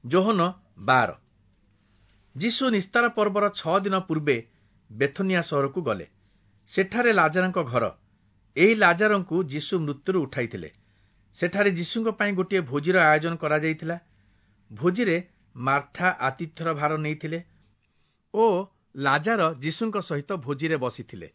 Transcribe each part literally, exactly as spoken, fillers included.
ଯୋହନ ବାର। ଯୀଶୁ ନିସ୍ତାର ପର୍ବର ଛଅ ଦିନ ପୂର୍ବେ ବେଥନିଆ ସହରକୁ ଗଲେ। ସେଠାରେ ଲାଜାରଙ୍କ ଘର। ଏହି ଲାଜାରଙ୍କୁ ଯୀଶୁ ମୃତ୍ୟୁରୁ ଉଠାଇଥିଲେ। ସେଠାରେ ଯୀଶୁଙ୍କ ପାଇଁ ଗୋଟିଏ ଭୋଜିର ଆୟୋଜନ କରାଯାଇଥିଲା। ଭୋଜିରେ ମାର୍ଥା ଆତିଥ୍ୟର ଭାର ନେଇଥିଲେ ଓ ଲାଜାର ଯୀଶୁଙ୍କ ସହିତ ଭୋଜିରେ ବସିଥିଲେ।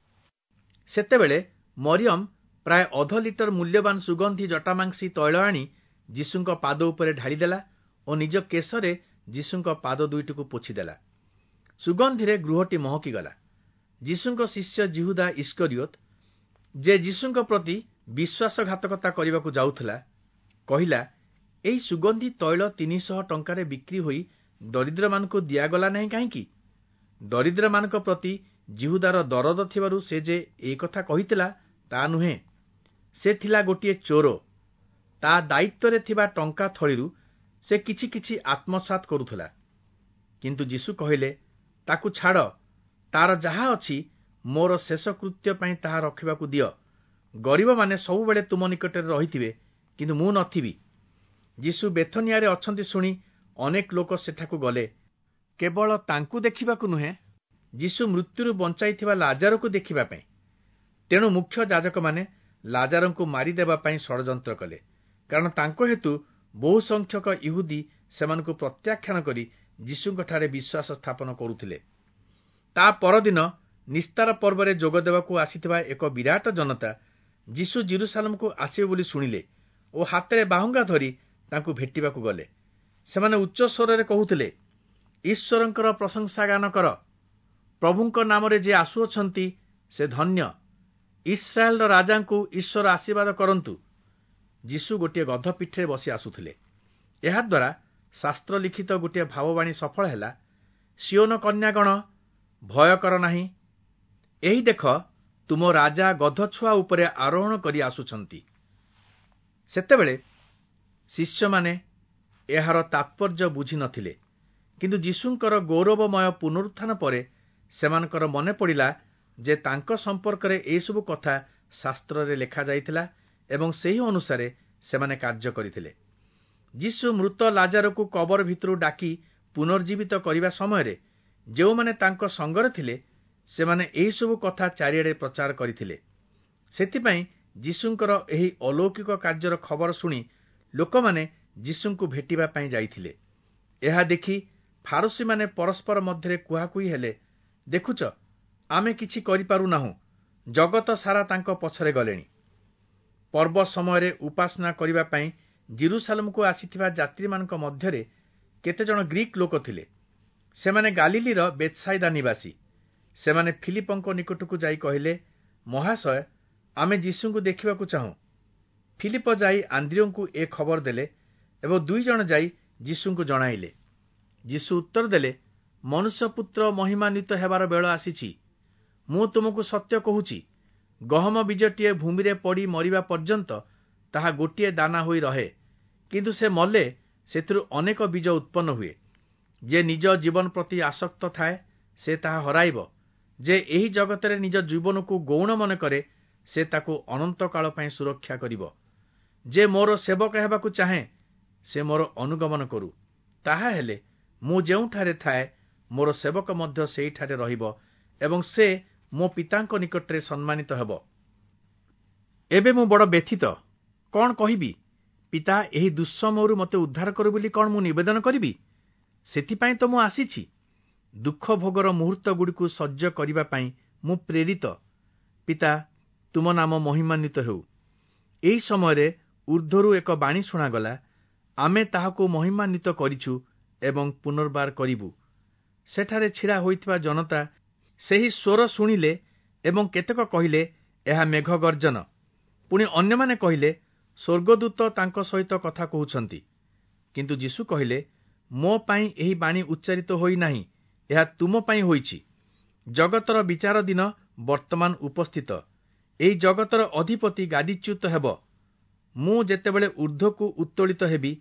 ସେତେବେଳେ ମରିୟମ ପ୍ରାୟ ଅଧ ଲିଟର ମୂଲ୍ୟବାନ ସୁଗନ୍ଧି ଜଟାମାଂସୀ ତୈଳ ଆଣି ଯୀଶୁଙ୍କ ପାଦ ଉପରେ ଢାଳିଦେଲା ଓ ନିଜ କେଶରେ ଯୀଶୁଙ୍କ ପାଦ ଦୁଇଟିକୁ ପୋଛିଦେଲା। ସୁଗନ୍ଧିରେ ଗୃହଟି ମହକିଗଲା। ଯୀଶୁଙ୍କ ଶିଷ୍ୟ ଯିହୁଦା ଇଷ୍କରିୟୋତ, ଯେ ଯୀଶୁଙ୍କ ପ୍ରତି ବିଶ୍ୱାସଘାତକତା କରିବାକୁ ଯାଉଥିଲା, କହିଲା, ଏହି ସୁଗନ୍ଧି ତୈଳ ତିନିଶହ ଟଙ୍କାରେ ବିକ୍ରି ହୋଇ ଦରିଦ୍ରମାନଙ୍କୁ ଦିଆଗଲା ନାହିଁ କାହିଁକି? ଦରିଦ୍ରମାନଙ୍କ ପ୍ରତି ଯିହୁଦାର ଦରଦ ଥିବାରୁ ସେ ଯେ ଏ କଥା କହିଥିଲା ତା ନୁହେଁ। ସେ ଥିଲା ଗୋଟିଏ ଚୋର। ତା ଦାୟିତ୍ୱରେ ଥିବା ଟଙ୍କା ଥଳିରୁ ସେ କିଛି କିଛି ଆତ୍ମସାତ୍ କରୁଥିଲା। କିନ୍ତୁ ଯୀଶୁ କହିଲେ, ତାକୁ ଛାଡ଼, ତାର ଯାହା ଅଛି ମୋର ଶେଷ କୃତ୍ୟ ପାଇଁ ତାହା ରଖିବାକୁ ଦିଅ। ଗରିବମାନେ ସବୁବେଳେ ତୁମ ନିକଟରେ ରହିଥିବେ, କିନ୍ତୁ ମୁଁ ନଥିବି। ଯୀଶୁ ବେଥନିଆରେ ଅଛନ୍ତି ଶୁଣି ଅନେକ ଲୋକ ସେଠାକୁ ଗଲେ, କେବଳ ତାଙ୍କୁ ଦେଖିବାକୁ ନୁହେଁ, ଯୀଶୁ ମୃତ୍ୟୁରୁ ବଞ୍ଚାଇଥିବା ଲାଜାରକୁ ଦେଖିବା ପାଇଁ। ତେଣୁ ମୁଖ୍ୟ ଯାଜକମାନେ ଲାଜାରଙ୍କୁ ମାରିଦେବା ପାଇଁ ଷଡ଼ଯନ୍ତ୍ର କଲେ, କାରଣ ତାଙ୍କ ହେତୁ ବହୁ ସଂଖ୍ୟକ ଇହୁଦୀ ସେମାନଙ୍କୁ ପ୍ରତ୍ୟାଖ୍ୟାନ କରି ଯୀଶୁଙ୍କଠାରେ ବିଶ୍ୱାସ ସ୍ଥାପନ କରୁଥିଲେ। ତା ପରଦିନ ନିସ୍ତାର ପର୍ବରେ ଯୋଗ ଦେବାକୁ ଆସିଥିବା ଏକ ବିରାଟ ଜନତା ଯୀଶୁ ଯିରୂଶାଲମକୁ ଆସିବେ ବୋଲି ଶୁଣିଲେ ଓ ହାତରେ ବାହୁଙ୍ଗା ଧରି ତାଙ୍କୁ ଭେଟିବାକୁ ଗଲେ। ସେମାନେ ଉଚ୍ଚ ସ୍ୱରରେ କହୁଥିଲେ, ଈଶ୍ୱରଙ୍କର ପ୍ରଶଂସା ଗାନ କର, ପ୍ରଭୁଙ୍କ ନାମରେ ଯିଏ ଆସୁଅଛନ୍ତି ସେ ଧନ୍ୟ, ଇସ୍ରାଏଲର ରାଜାଙ୍କୁ ଈଶ୍ୱର ଆଶୀର୍ବାଦ କରନ୍ତୁ। ଯୀଶୁ ଗୋଟିଏ ଗଧ ପିଠିରେ ବସି ଆସୁଥିଲେ। ଏହାଦ୍ୱାରା ଶାସ୍ତ୍ର ଲିଖିତ ଗୋଟିଏ ଭାବବାଣୀ ସଫଳ ହେଲା, ସିୟୋନ କନ୍ୟାଗଣ, ଭୟ କର ନାହିଁ, ଏହି ଦେଖ ତୁମ ରାଜା ଗଧ ଛୁଆ ଉପରେ ଆରୋହଣ କରି ଆସୁଛନ୍ତି। ସେତେବେଳେ ଶିଷ୍ୟମାନେ ଏହାର ତାତ୍ପର୍ଯ୍ୟ ବୁଝି ନଥିଲେ, କିନ୍ତୁ ଯୀଶୁଙ୍କର ଗୌରବମୟ ପୁନରୁତ୍ଥାନ ପରେ ସେମାନଙ୍କର ମନେ ପଡ଼ିଲା ଯେ ତାଙ୍କ ସମ୍ପର୍କରେ ଏହିସବୁ କଥା ଶାସ୍ତ୍ରରେ ଲେଖାଯାଇଥିଲା ଏବଂ ସେହି ଅନୁସାରେ ସେମାନେ କାର୍ଯ୍ୟ କରିଥିଲେ। ଯୀଶୁ ମୃତ ଲାଜାରକୁ କବର ଭିତରୁ ଡାକି ପୁନର୍ଜୀବିତ କରିବା ସମୟରେ ଯେଉଁମାନେ ତାଙ୍କ ସଙ୍ଗରେ ଥିଲେ, ସେମାନେ ଏହିସବୁ କଥା ଚାରିଆଡ଼େ ପ୍ରଚାର କରିଥିଲେ। ସେଥିପାଇଁ ଯୀଶୁଙ୍କର ଏହି ଅଲୌକିକ କାର୍ଯ୍ୟର ଖବର ଶୁଣି ଲୋକମାନେ ଯୀଶୁଙ୍କୁ ଭେଟିବା ପାଇଁ ଯାଇଥିଲେ। ଏହା ଦେଖି ଫାରୂଶୀମାନେ ପରସ୍ପର ମଧ୍ୟରେ କୁହାକୁହି ହେଲେ, ଦେଖୁଛ, ଆମେ କିଛି କରିପାରୁନାହୁଁ, ଜଗତ ସାରା ତାଙ୍କ ପଛରେ ଗଲେଣି। ପର୍ବ ସମୟରେ ଉପାସନା କରିବା ପାଇଁ ଯିରୂଶାଲମକୁ ଆସିଥିବା ଯାତ୍ରୀମାନଙ୍କ ମଧ୍ୟରେ କେତେଜଣ ଗ୍ରୀକ୍ ଲୋକ ଥିଲେ। ସେମାନେ ଗାଲିଲୀର ବେଥସାଇଦା ନିବାସୀ। ସେମାନେ ଫିଲିପଙ୍କ ନିକଟକୁ ଯାଇ କହିଲେ, ମହାଶୟ, ଆମେ ଯୀଶୁଙ୍କୁ ଦେଖିବାକୁ ଚାହୁଁ। ଫିଲିପ ଯାଇ ଆନ୍ଦ୍ରିୟଙ୍କୁ ଏ ଖବର ଦେଲେ ଏବଂ ଦୁଇ ଜଣ ଯାଇ ଯୀଶୁଙ୍କୁ ଜଣାଇଲେ। ଯୀଶୁ ଉତ୍ତର ଦେଲେ, ମନୁଷ୍ୟପୁତ୍ର ମହିମାନ୍ୱିତ ହେବାର ବେଳ ଆସିଛି। ମୁଁ ତୁମକୁ ସତ୍ୟ କହୁଛି, ଗହମ ବୀଜଟିଏ ଭୂମିରେ ପଡ଼ି ମରିବା ପର୍ଯ୍ୟନ୍ତ ତାହା ଗୋଟିଏ ଦାନା ହୋଇ ରହେ, କିନ୍ତୁ ସେ ମଲେ ସେଥିରୁ ଅନେକ ବୀଜ ଉତ୍ପନ୍ନ ହୁଏ। ଯେ ନିଜ ଜୀବନ ପ୍ରତି ଆସକ୍ତ ଥାଏ ସେ ତାହା ହରାଇବ। ଯେ ଏହି ଜଗତରେ ନିଜ ଜୀବନକୁ ଗୌଣ ମନେ କରେ ସେ ତାକୁ ଅନନ୍ତକାଳ ପାଇଁ ସୁରକ୍ଷା କରିବ। ଯେ ମୋର ସେବକ ହେବାକୁ ଚାହେଁ ସେ ମୋର ଅନୁଗମନ କରୁ, ତାହା ହେଲେ ମୁଁ ଯେଉଁଠାରେ ଥାଏ ମୋର ସେବକ ମଧ୍ୟ ସେହିଠାରେ ରହିବ ଏବଂ ସେ ମୋ ପିତାଙ୍କ ନିକଟରେ ସମ୍ମାନିତ ହେବ। ଏବେ ମୁଁ ବଡ଼ ବ୍ୟଥିତ, କଣ କହିବି? ପିତା, ଏହି ଦୁଃସମୟରୁ ମୋତେ ଉଦ୍ଧାର କରୁ ବୋଲି କଣ ମୁଁ ନିବେଦନ କରିବି? ସେଥିପାଇଁ ତ ମୁଁ ଆସିଛି। ଦୁଃଖ ଭୋଗର ମୁହୂର୍ତ୍ତଗୁଡ଼ିକୁ ସହ୍ୟ କରିବା ପାଇଁ ମୁଁ ପ୍ରେରିତ। ପିତା, ତୁମ ନାମ ମହିମାନ୍ୱିତ ହେଉ। ଏହି ସମୟରେ ଊର୍ଦ୍ଧ୍ୱରୁ ଏକ ବାଣୀ ଶୁଣାଗଲା, ଆମେ ତାହାକୁ ମହିମାନ୍ୱିତ କରିଛୁ ଏବଂ ପୁନର୍ବାର କରିବୁ। ସେଠାରେ ଛିଡ଼ା ହୋଇଥିବା ଜନତା ସେହି ସ୍ୱର ଶୁଣିଲେ ଏବଂ କେତେକ କହିଲେ, ଏହା ମେଘ ଗର୍ଜନ। ପୁଣି ଅନ୍ୟମାନେ କହିଲେ, ସ୍ୱର୍ଗଦୂତ ତାଙ୍କ ସହିତ କଥା କହୁଛନ୍ତି। କିନ୍ତୁ ଯୀଶୁ କହିଲେ, ମୋ ପାଇଁ ଏହି ବାଣୀ ଉଚ୍ଚାରିତ ହୋଇନାହିଁ, ଏହା ତୁମ ପାଇଁ ହୋଇଛି। ଜଗତର ବିଚାର ଦିନ ବର୍ତ୍ତମାନ ଉପସ୍ଥିତ। ଏହି ଜଗତର ଅଧିପତି ଗାଦିଚ୍ୟୁତ ହେବ। ମୁଁ ଯେତେବେଳେ ଊର୍ଦ୍ଧ୍ୱକୁ ଉତ୍ତୋଳିତ ହେବି,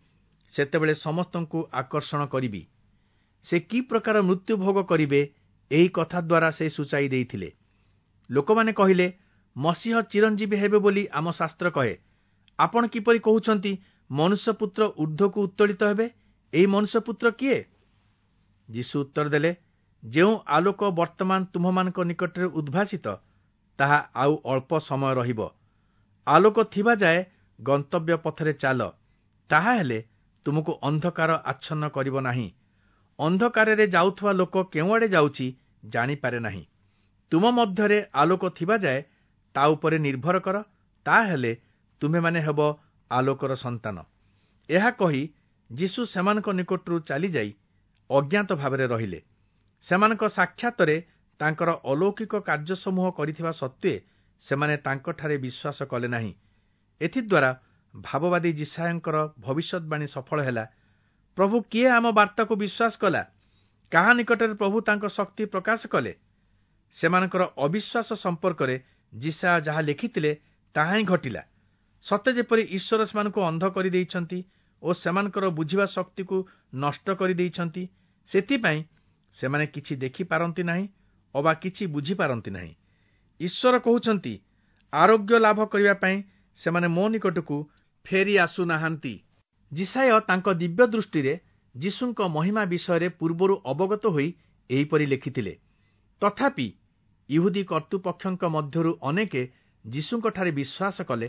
ସେତେବେଳେ ସମସ୍ତଙ୍କୁ ଆକର୍ଷଣ କରିବି। ସେ କି ପ୍ରକାର ମୃତ୍ୟୁ ଭୋଗ କରିବେ ଏହି କଥା ଦ୍ୱାରା ସେ ସୂଚାଇ ଦେଇଥିଲେ। ଲୋକମାନେ କହିଲେ, ମସିହ ଚିରଞ୍ଜୀବୀ ହେବେ ବୋଲି ଆମ ଶାସ୍ତ୍ର କହେ। ଆପଣ କିପରି କହୁଛନ୍ତି ମନୁଷ୍ୟପୁତ୍ର ଊର୍ଦ୍ଧ୍ୱକୁ ଉତ୍ତୋଳିତ ହେବେ? ଏହି ମନୁଷ୍ୟପୁତ୍ର କିଏ? ଯୀଶୁ ଉତ୍ତର ଦେଲେ, ଯେଉଁ ଆଲୋକ ବର୍ତ୍ତମାନ ତୁମ୍ଭମାନଙ୍କ ନିକଟରେ ଉଦ୍ଭାସିତ, ତାହା ଆଉ ଅଳ୍ପ ସମୟ ରହିବ। ଆଲୋକ ଥିବା ଯାଏ ଗନ୍ତବ୍ୟ ପଥରେ ଚାଲ, ତାହା ହେଲେ ତୁମକୁ ଅନ୍ଧକାର ଆଚ୍ଛନ୍ନ କରିବ ନାହିଁ। ଅନ୍ଧକାରରେ ଯାଉଥିବା ଲୋକ କେଉଁଆଡ଼େ ଯାଉଛି ଜାଣିପାରେ ନାହିଁ। ତୁମ ମଧ୍ୟରେ ଆଲୋକ ଥିବା ଯାଏ ତା ଉପରେ ନିର୍ଭର କର, ତାହେଲେ ତୁମ୍ଭେମାନେ ହେବ ଆଲୋକର ସନ୍ତାନ। ଏହା କହି ଯୀଶୁ ସେମାନଙ୍କ ନିକଟରୁ ଚାଲିଯାଇ ଅଜ୍ଞାତ ଭାବରେ ରହିଲେ। ସେମାନଙ୍କ ସାକ୍ଷାତରେ ତାଙ୍କର ଅଲୌକିକ କାର୍ଯ୍ୟସମୂହ କରିଥିବା ସତ୍ତ୍ୱେ ସେମାନେ ତାଙ୍କଠାରେ ବିଶ୍ୱାସ କଲେ ନାହିଁ। ଏଥିଦ୍ୱାରା ଭାବବାଦୀ ଯିଶାଇୟଙ୍କର ଭବିଷ୍ୟଦ୍ବାଣୀ ସଫଳ ହେଲା, ପ୍ରଭୁ କିଏ ଆମ ବାର୍ତ୍ତାକୁ ବିଶ୍ୱାସ କଲା? କାହା ନିକଟରେ ପ୍ରଭୁ ତାଙ୍କ ଶକ୍ତି ପ୍ରକାଶ କଲେ? ସେମାନଙ୍କର ଅବିଶ୍ୱାସ ସମ୍ପର୍କରେ ଯିଶାଇୟ ଯାହା ଲେଖିଥିଲେ ତାହା ହିଁ ଘଟିଲା। ସତେ ଯେପରି ଈଶ୍ୱର ସେମାନଙ୍କୁ ଅନ୍ଧ କରିଦେଇଛନ୍ତି ଓ ସେମାନଙ୍କର ବୁଝିବା ଶକ୍ତିକୁ ନଷ୍ଟ କରିଦେଇଛନ୍ତି, ସେଥିପାଇଁ ସେମାନେ କିଛି ଦେଖିପାରନ୍ତି ନାହିଁ ଅବା କିଛି ବୁଝିପାରନ୍ତି ନାହିଁ। ଈଶ୍ୱର କହୁଛନ୍ତି, ଆରୋଗ୍ୟ ଲାଭ କରିବା ପାଇଁ ସେମାନେ ମୋ ନିକଟକୁ ଫେରି ଆସୁନାହାନ୍ତି। ଯିଶାଇୟ ତାଙ୍କ ଦିବ୍ୟ ଦୃଷ୍ଟିରେ ଯୀଶୁଙ୍କ ମହିମା ବିଷୟରେ ପୂର୍ବରୁ ଅବଗତ ହୋଇ ଏହିପରି ଲେଖିଥିଲେ। ତଥାପି ଇହୁଦୀ କର୍ତ୍ତୃପକ୍ଷଙ୍କ ମଧ୍ୟରୁ ଅନେକେ ଯୀଶୁଙ୍କଠାରେ ବିଶ୍ୱାସ କଲେ,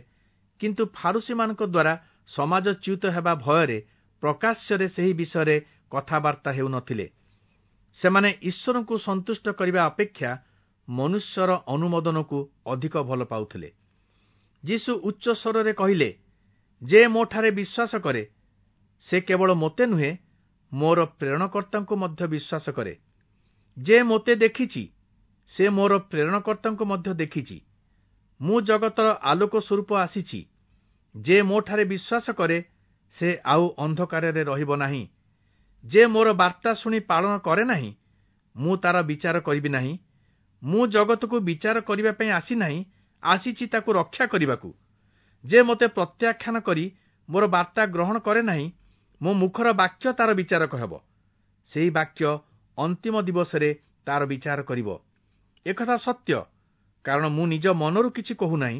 କିନ୍ତୁ ଫାରୁଶୀମାନଙ୍କ ଦ୍ୱାରା ସମାଜଚ୍ୟୁତ ହେବା ଭୟରେ ପ୍ରକାଶ୍ୟରେ ସେହି ବିଷୟରେ କଥାବାର୍ତ୍ତା ହେଉନଥିଲେ। ସେମାନେ ଈଶ୍ୱରଙ୍କୁ ସନ୍ତୁଷ୍ଟ କରିବା ଅପେକ୍ଷା ମନୁଷ୍ୟର ଅନୁମୋଦନକୁ ଅଧିକ ଭଲ ପାଉଥିଲେ। ଯୀଶୁ ଉଚ୍ଚ ସ୍ୱରରେ କହିଲେ, ଯେ ମୋଠାରେ ବିଶ୍ୱାସ କରେ, ସେ କେବଳ ମୋତେ ନୁହେଁ, ମୋର ପ୍ରେରଣକର୍ତ୍ତାଙ୍କୁ ମଧ୍ୟ ବିଶ୍ୱାସ କରେ। ଯେ ମୋତେ ଦେଖିଛି, ସେ ମୋର ପ୍ରେରଣକର୍ତ୍ତାଙ୍କୁ ମଧ୍ୟ ଦେଖିଛି। ମୁଁ ଜଗତର ଆଲୋକ ସ୍ୱରୂପ ଆସିଛି। ଯେ ମୋଠାରେ ବିଶ୍ୱାସ କରେ, ସେ ଆଉ ଅନ୍ଧକାରରେ ରହିବ ନାହିଁ। ଯେ ମୋର ବାର୍ତ୍ତା ଶୁଣି ପାଳନ କରେ ନାହିଁ, ମୁଁ ତାର ବିଚାର କରିବି ନାହିଁ। ମୁଁ ଜଗତକୁ ବିଚାର କରିବା ପାଇଁ ଆସିନାହିଁ, ଆସିଛି ତାକୁ ରକ୍ଷା କରିବାକୁ। ଯେ ମୋତେ ପ୍ରତ୍ୟାଖ୍ୟାନ କରି ମୋର ବାର୍ତ୍ତା ଗ୍ରହଣ କରେ ନାହିଁ, ମୋ ମୁଖର ବାକ୍ୟ ତାର ବିଚାରକ ହେବ। ସେହି ବାକ୍ୟ ଅନ୍ତିମ ଦିବସରେ ତାର ବିଚାର କରିବ। ଏକଥା ସତ୍ୟ, କାରଣ ମୁଁ ନିଜ ମନରୁ କିଛି କହୁନାହିଁ।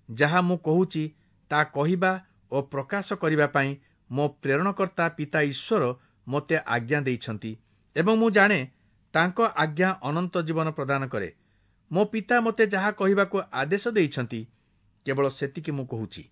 ଯାହା ମୁଁ କହୁଛି, ତା କହିବା ଓ ପ୍ରକାଶ କରିବା ପାଇଁ ମୋ ପ୍ରେରଣକର୍ତ୍ତା ପିତା ଈଶ୍ୱର ମୋତେ ଆଜ୍ଞା ଦେଇଛନ୍ତି ଏବଂ ମୁଁ ଜାଣେ ତାଙ୍କ ଆଜ୍ଞା ଅନନ୍ତ ଜୀବନ ପ୍ରଦାନ କରେ। ମୋ ପିତା ମୋତେ ଯାହା କହିବାକୁ ଆଦେଶ ଦେଇଛନ୍ତି, କେବଳ ସେତିକି ମୁଁ କହୁଛି।